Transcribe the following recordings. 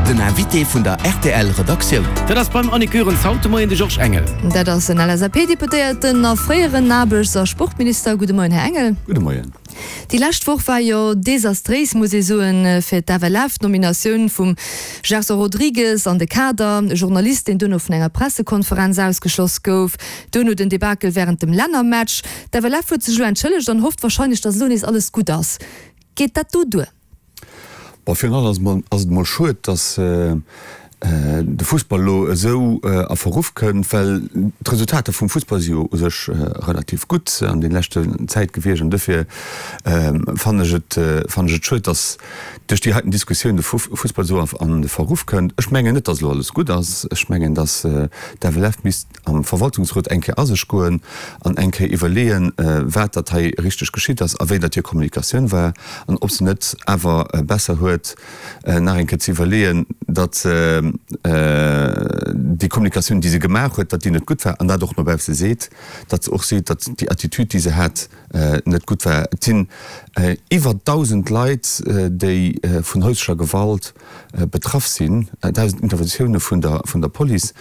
Den Invité vun der rtl Redaktioun. Dat ass beim Annick Goerens haut de Moien de Georges Engel. Dat ass en LSAP-Deputéierten a fréieren Aarbechts a Sportminister. Gudde Moien, Här Engel. Gudde Moien. Déi lescht Woch war jo desastréis, muss ee soen, fir d'FLF. D'Nominatioun vum Gerson Rodrigues an de Kader, e Journalist, deen duerno vun enger Pressekonferenz ausgeschloss gouf, duerno den Debakel wärend dem Lännermatch. D'FLF huet sech elo entschëllegt an hofft warscheinlech, datt elo nees alles gutt ass. Geet dat do duer? Bon, virun allem ass et emol schued, datt de Fussball elo esou a Verruff kënnt, well d'Resultater vum Fussball si jo u sech relativ gutt an den leschten Zäit gewiescht. An dofir fannen ech et, fannen ech et schued, datt duerch déi heiten Diskussioun de Fussball esou an de Verruff kënnt. Ech mengen net, datt elo alles gutt ass. Ech mengen, datt d'FLF misst am Verwaltungsrot eng Kéier a sech goen an eng Kéier iwwerleeën, wat datt hei richteg geschitt ass a wéi datt hir Kommunikatioun war an ob se net awer besser huet, nach eng Kéier ze iwwerleeën, datt déi Kommunikatioun, déi se gemaach huet, datt déi net gutt war an dat och no bausse seet, datt se och seet, datt déi Attitude, déi se hat, net gutt war. Et sinn iwwer 1.000 Leit, déi vun häuslecher Gewalt betraff sinn, 1.000 Interventioune vun der vun der Police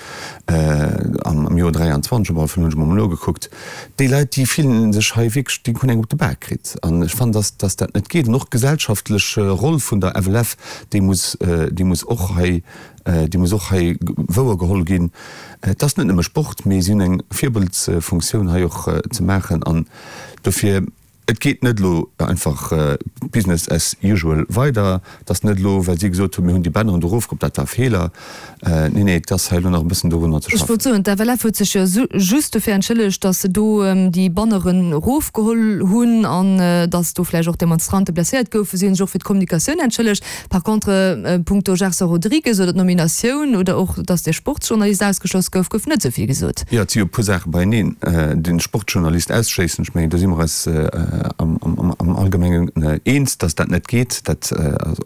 am Joer 23, op alle Fall hunn ech emol nogekuckt. Déi Leit, déi fillen sech hei wierklech, déi hunn eng op de Bak kritt. An ech fannen, dass dass dat net geet. An och d'gesellschaftlech Roll vun der FLF, déi muss déi muss och hei déi muss och hei wouergeholl ginn. Et ass net nëmme Sport, mee si hunn eng Virbildsfunktioun hei och ze maachen. An dofir. Et geet net elo einfach business as usual weider. Et ass net elo, well si gesot hunn, mir hunn déi Banneren do erofgeholl, dat war e Feeler. Nee, nee, et ass hei elo nach e bëssen dorunner ze Ech schaffen. wollt soen, d'FLF huet sech jo just dofir entschëllegt, datt se do déi Banneren erofgeholl hunn an datt do vläicht och Demonstrante blesséiert goufen. Si hunn sech och fir d'Kommunikatioun entschëllegt. Par contre, punkto Gerson Rodrigues oder d'Nominatioun oder och, datt dee Sportsjournalist ausgeschloss gouf, gouf net esou vill gesot. Jo, et si jo e puer Saache beieneen. De Sportjournalist ausschléissen, ech mengen, do si mer eis am Allgemengen eens, datt dat net geet. Dat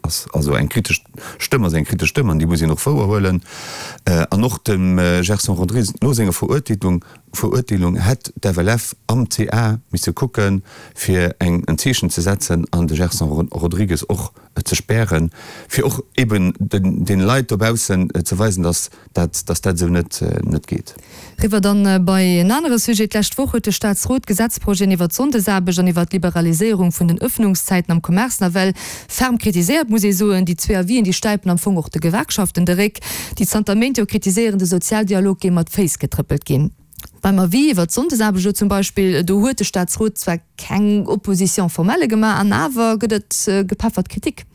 ass also eng kritesch Stëmm ass eng kritesch Stëmm an déi muss een och wouerhuelen. An och dem Gerson Rodrigues no senger Verurteelung, Verurteelung hätt d'FLF am CA misse kucken, fir eng en Zeechen ze setzen an de Gerson Rodrigues och ze spären, fir och eben den Leit dobaussen ze weisen, dass dat, dass dat esou net net geet. Riwwer dann bei en anere Sujet. D'lescht Woch huet de Staatsrot d'Gesetzprojeten iwwert d'Sonndesaarbecht an iwwert d'Liberaliséierung vun den Ëffnungszäiten am Commerce nawell ferm kritiséiert, muss ee soen. Déi zwee Avisen, déi stäipen am Fong och de Gewerkschaften de Réck, déi zanter Méint jo kritiséieren, de Sozialdialog géing mat Féiss getrëppelt ginn. Beim Avis iwwert d'Sonndesaarbecht elo zum Beispill, do huet de Staatsrot zwar keng Opposition formelle gemaach, an awer gëtt et gepeffert Kritik.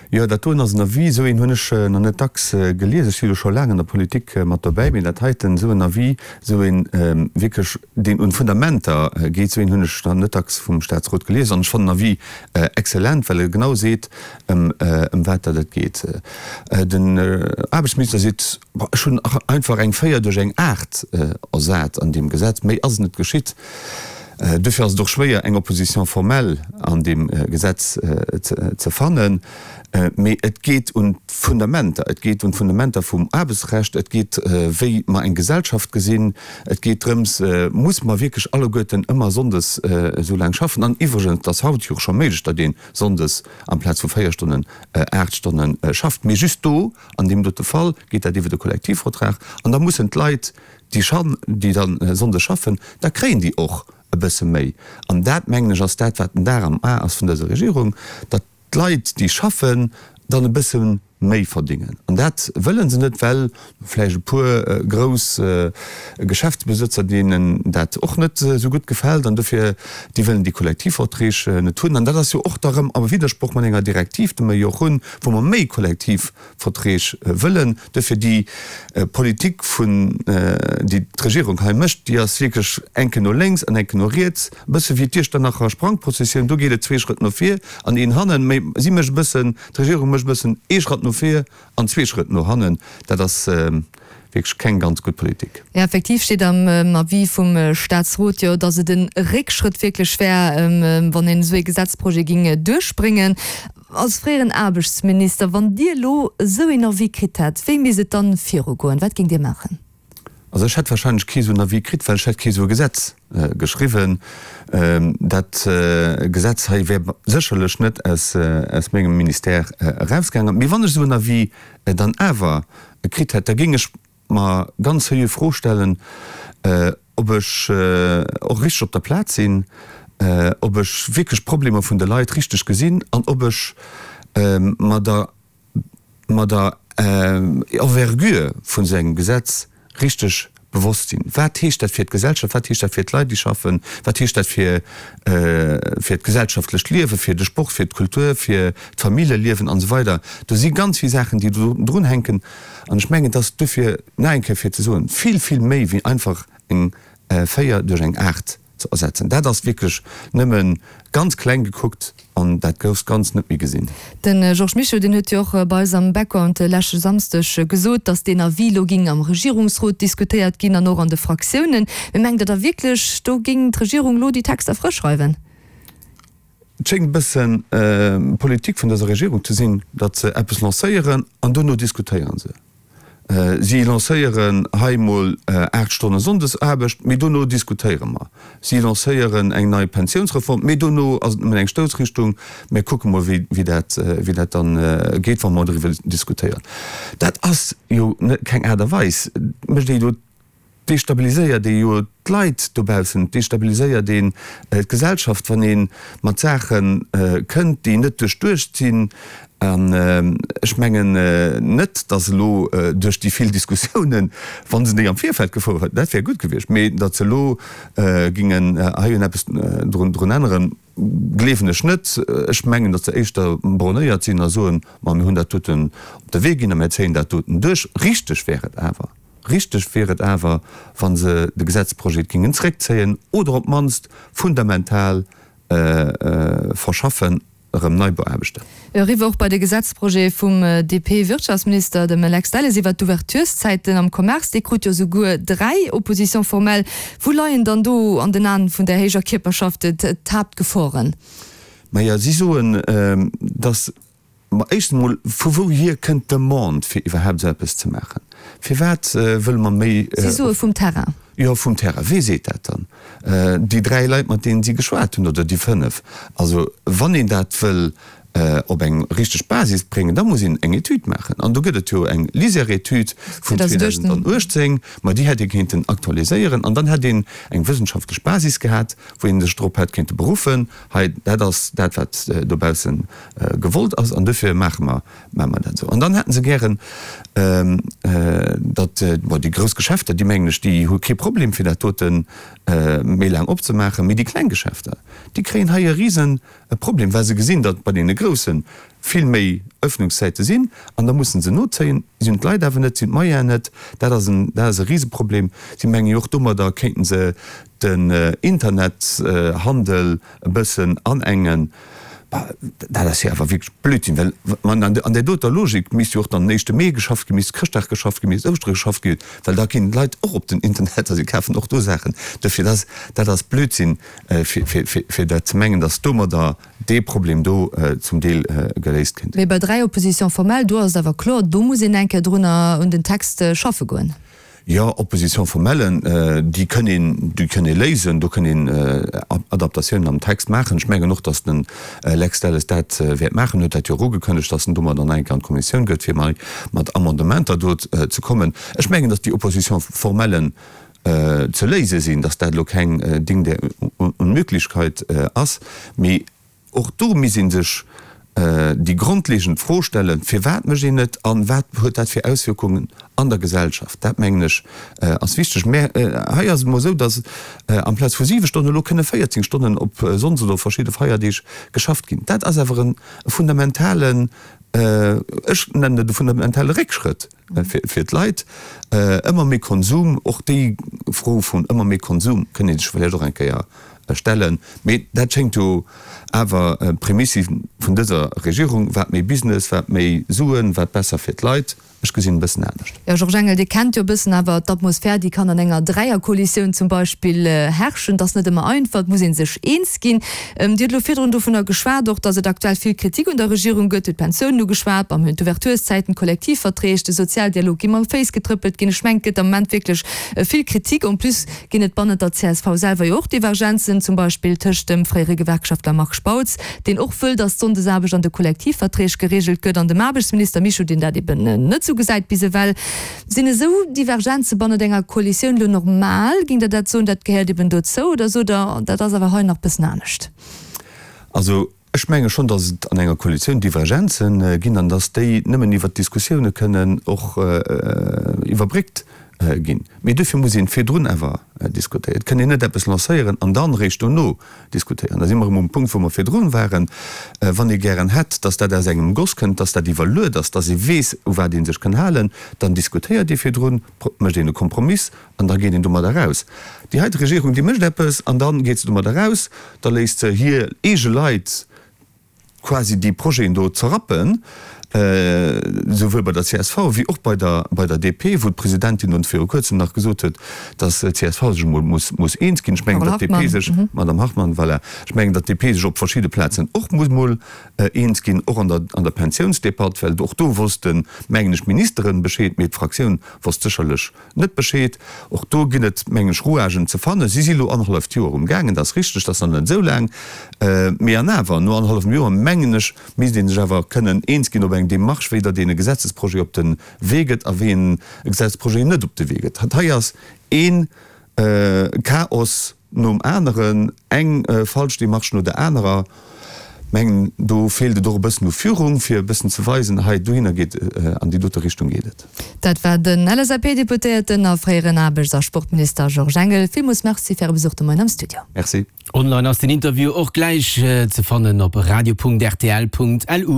Jo, dat doen ass en Avis, esou een hunn ech nach net dacks gelies. Ech si jo scho laang an der Politik mat dobäi, mee dat heiten, esou en Avis, esou een wierklech, deen un d'Fundamenter geet, esou een hunn ech nach net dacks vum Staatsrot gelies. An ech fannen den Avis excellent, well e genau seet, ëm wat datt et geet. Den Aarbechtsminister seet, Ech hunn einfach eng 4 duerch eng 8 ersat an deem Gesetz, méi ass net geschitt. Duerfir ass et och schwéier, eng Opposition formelle an deem Gesetz ze fannen. Mee et geet un d'Fundamenter, et geet un d'Fundamenter vum Aarbechtsrecht, et geet, wéi mer eng Gesellschaft gesinn, et geet drëms, Muss mer wierklech alleguerten ëmmer sonndes esou laang schaffen? An iwwregens, et ass haut jo och scho méiglech, datt ee sonndes amplaz vu 4 Stonnen 8 Stonne schafft. Mee just do, an deem dote Fall, geet dat iwwer de Kollektivvertrag. An da mussen d'Leit, déi schan, déi da sonndes schaffen, da kréien déi och e bësse méi. An dat, mengen ech, ass dat, wat den Dar am A ass vun dëser Regierung, datt d'Leit, déi schaffen, dann e bësse méi verdingen. An dat wëlle se net, well vläicht e puer grouss Geschäftsbesëtzer, deenen dat och net esou gutt gefält, an dofir, déi wëllen déi Kollektivverträg net hunn. An dat ass jo och da rëm am Widdersproch mat enger Direktiv, déi mer jo och hunn, wou mer méi Kollektivverträg wëllen. Dofir déi Politik vun, déi d'Regierung hei mécht, déi ass wierklech eng Kéier no lénks an eng Kéier no riets, e bësse wéi d'Iechternacher Sprangprozessioun, do geet et zwee Schrëtt no vir an een hannen, mä si mécht e bëssen, d'Regierung mécht e bëssen ee Schratt no vir an zwee Schrëtt no hannen. Dat ass wierklech keng ganz gutt Politik. Jo, effektiv steet am Avis vum Staatsrot jo, datt et e Réckschrëtt wierklech wär, wann een esou ee Gesetzprojet géing duerchbréngen. Als fréieren Aarbechtsminister, wann Dir elo esou een Avis kritt hätt, wéi misst et dann virugoen? Wat géingt Dir maachen? Also ech hätt wahrscheinlech kee sou en Avis kritt, well ech hätt kee sou e Gesetz geschriwwen. Dat Gesetz hei wär sécherlech net aus mengem Ministère erausgaangen. Mee wann ech esou en Avis dann awer kritt hätt, da géing ech mer ganz seriö Fro stellen, ob ech och richteg op der Plaz sinn, ob ech wierklech d'Problemer vun de Leit richteg gesinn an ob ech mer der mer der Envergure vun esou engem Gesetz richteg bewosst sinn. Wat heescht dat fir d'Gesellschaft? Wat heescht dat fir d'Leit, déi schaffen? Wat heescht dat fir fir d'gesellschaftlecht Liewen, fir de Sport, fir d'Kultur, fir d'Familljeliewen an esou weider? Do si ganz vill Saachen, déi do drunhänken. An ech mengen, et ass duerfir nach eng Kéier fir ze soen, vill, vill méi wéi einfach eng 4 duerch eng 8 ze ersetzen. Dat ass wierklech nëmme ganz kleng gekuckt an dat grousst Ganzt net méi gesinn. De Georges Mischo, deen huet jo och bei eis am Background de leschte Samsdeg gesot, datt deen Avis elo géing am Regierungsrot diskutéiert ginn an och an de Fraktiounen. Mee mengt Der da wierklech, do géing d'Regierung elo déi Texter frësch schreiwen? Et schéngt e bëssen d'Politik vun dëser Regierung ze sinn, datt se eppes lancéieren an dono diskutéiere se. Si lancéieren hei emol 8 Stonne Sonndesaarbecht, mee dono diskutéiere mer. Si lancéieren eng nei Pensiounsreform, mee dono ass et nëmmen eng Stoussrichtung, mir kucke mol wéi dat wéi dat dann geet, wa mer doriwwer diskutéieren. Dat ass jo keng Aart a Weis. Et mécht ee jo destabiliséiert ee jo d'Leit dobaussen, et destabiliséiert een d'Gesellschaft, wann ee mat Saache kënnt, déi net duerchduecht sinn. An ech mengen net, datt elo duerch déi vill Diskussiounen, wa se déi am Virfeld gefouert hätten, dat wär gutt gewiescht, mee datt se elo gingen hei un eppes drun änneren, Gleewen ech net. Ech mengen, datt se éischter bornéiert sinn a soen, Ma mir hunn dat doten op de Wee ginn a mir zéien dat doten duerch. Richteg wär et awer, richteg wier et awer, wa se de Gesetzprojet géingen zréckzéien oder op d'mannst fundamental verschaffen, erëm nei beaarbechten. Eriwwer och bei de Gesetzprojet vum DP-Wirtschaftsminister, dem Lex Delles, iwwert d'Ouvertureszäiten am Commerce. Dee krut jo souguer 3 Oppositions formelles. Wou leien dann do an den Aen vun där héijer Kierperschaft d'Haaptgeforen? Maja, si soen, datt, ma éischtens emol, vu wouhier kënnt d'Demande, fir iwwerhaapt esou eppes ze maachen? Firwat wëlle mer méi. Si soe vum Terrain. Jo, vum Terrain. Wee seet dat dann? Déi 3 Leit, mat deenen si geschwat hunn, oder déi 5? Also, wann een dat wëll op eng richteg Basis bréngen, da muss een eng Etüd maachen. An do gëtt et jo eng LISER-Etüd vun 2018, ma déi hätt ee kéinten aktualiséieren an dann hätt een eng wëssenschaftlech Basis gehat, wou ee sech drop hätt kéinte beruffen, hei, dat ass dat, wat dobausse gewollt ass an dofir maache mer Maache mer dat esou. An dann hätte se gären, datt, bon, déi grouss Geschäfter, déi mengen ech, déi hu kee Problem, fir dat dote méi laang opzemaachen, mee déi kleng Geschäfter, déi kréien hei e rise Problem, well se gesinn, datt bei deene grousse vill méi Öffnungszäite sinn an da musse se nozéien. Si hunn d'Leit awer net, si hunn d'Moyenen net. Dat ass en, dat ass e Riseproblem. Si mengen jo och, domadder kéinte se den Internethandel e bëssen anengen. Bah, dat ass jo awer wierklech Blödsinn, well an an där doter Logik misst jo och dann den éischte Mee geschafft ginn, misst Chrëschtdag geschafft ginn, misst Ouschtere geschafft ginn, well da ginn d'Leit och op den Internet a si kafen och do Saachen. Dofir, dat ass, dat ass Blödsinn, fir, fir, fir, fir dat ze mengen, datt domadder dee Problem do zum Deel geléist kéint. Mee bei 3 Oppositions formelles, do ass et awer kloer, do muss een eng Kéier drunner un den Text schaffe goen. Jo, Opposition formellen, déi kënn een, déi kënn ee léisen, do kënn een Adaptatiounen am Text maachen. Ech mengen och, datt den Lex Delles dat wäert maachen, huet dat jo och ugekënnegt, datt en domadder nach eng Kéier an d'Kommissioun gëtt, fir mei mat Amendementer do ze kommen. Ech mengen, datt déi Opposition formellen ze léise sinn, datt dat elo keng Ding der Unmöglichkeit ass, mee Och do misst ee sech déi grondlegend Fro stellen, Firwat mécht een et a wat huet dat fir Auswierkungen an der Gesellschaft? Dat, mengen ech, ass wichteg. Mä hei ass et emol esou, datt amplaz vu siwe Stonnen elo kënne 14 Stonnen op Sonndes oder op verschidde Feierdeeg geschafft ginn. Dat ass awer e fundamentalen, ech nennen et e fundamentale Réckschrëtt fir d'Leit. Ëmmer méi Konsum, och déi Fro vun ëmmer méi Konsum kënnt ee sech vläicht och eng Kéier stellen. Mee dat schéngt jo awer d'Prämisse vun dëser Regierung, wat méi Business, wat méi Suen, wat besser fir d'Leit. Ech gesinn e bëssen anescht. Jo, Georges Engel, Dir kennt jo e bëssen awer d'Atmosphär, déi kann an enger Dräierkoalitioun zum Beispill herrschen. Et ass net ëmmer einfach, et muss ee sech eens ginn. Dir hutt elo virdrun dovunner geschwat och, datt et aktuell vill Kritik un der Regierung gëtt. Dir hutt d'Pensiounen ugeschwat, mer hunn d'Ouvertureszäiten, d'Kollektivverträg, de Sozialdialog gi mam Féiss getrëppelt ginn. Ech mengen, et gëtt am Moment wierklech vill Kritik. En plus ginn et bannent der csv selwer jo och Divergenzen, zum Beispill tëscht dem fréiere Gewerkschaftler Marc Spautz, deen och wëll, datt d'Sonndesaarbecht an de Kollektivverträg gereegelt gëtt, an dem Aarbechtsminister Mischo, deen dat eben net esou gesäit bis ewell. Sinn esou Divergenze bannent enger Koalitioun elo normal? Géingt Der dat soen, dat gehéiert eben dozou, oder sot Der, dat ass awer hei nach bëssen anescht? Also ech menge schonn, datt et an enger Koalitioun Divergenze ginn an datt déi nëmmen iwwert Diskussioune kënnen och iwwerbréckt ginn. Mee duerfir muss een virdrun awer diskutéieren. Et kënn een net eppes lancéieren an dann eréischt dono diskutéieren. Da si mer erëm um Punkt, wou mer virdrun waren. Wann ee gären hätt, dass dat aus engem Goss kënnt, dass dat iwwerluet ass, dass ee weess, u wat ee sech kënn halen, dann diskutéiert ee virdrun, mécht een e Kompromiss an da geet een domadder eraus. Déi heite Regierung, déi mécht eppes an da geet se domadder eraus, da léisst se hir eege Leit, quasi déi Projeten do zerrappen, souwuel bei der csv wéi och bei der bei der DP, wou d'Presidentin ons viru kuerzem nach gesot huet, datt d'CSV sech emol muss muss eens ginn. Ech mengen, datt d'DP sech, Madame Hartmann, voilà, ech mengen, datt d'DP sech op verschidde Plazen och muss emol eens ginn, och an der an der Pensiounsdebatt, well och do wossten, mengen ech, d'Ministeren Bescheed, mee d'Fraktioun wosst sécherlech Net Bescheed. Och do ginn et, meng ech, Rouagen ze fannen. Si si lo annerhalleft Joer um gaangen, dat ass richteg, dat ass nach net esou laang. Mee an awer, no annerhallefem Joer, mengen ech, misst ee sech awer kënnen eens ginn op eng Démarche, wéi datt een e Gesetzesprojet op de Wee gëtt a wéi een e Gesetzesprojet net op de Wee gëtt. Hei ass ee Chaos nom aneren, eng falsch Démarche no der anerer. Mengen, do feelt et och e bëssen u Führung, fir e bëssen ze weisen, hei dohinner geet, an déi dote Richtung geet et. Dat war den LSAP-Deputéierten a fréieren Aarbechts a Sportminister Georges Engel. Villmools Merci fir Äre Besuch de Moien am Studio. Merci. Online ass den Interview och gläich ze fannen op radio.rtl.lu.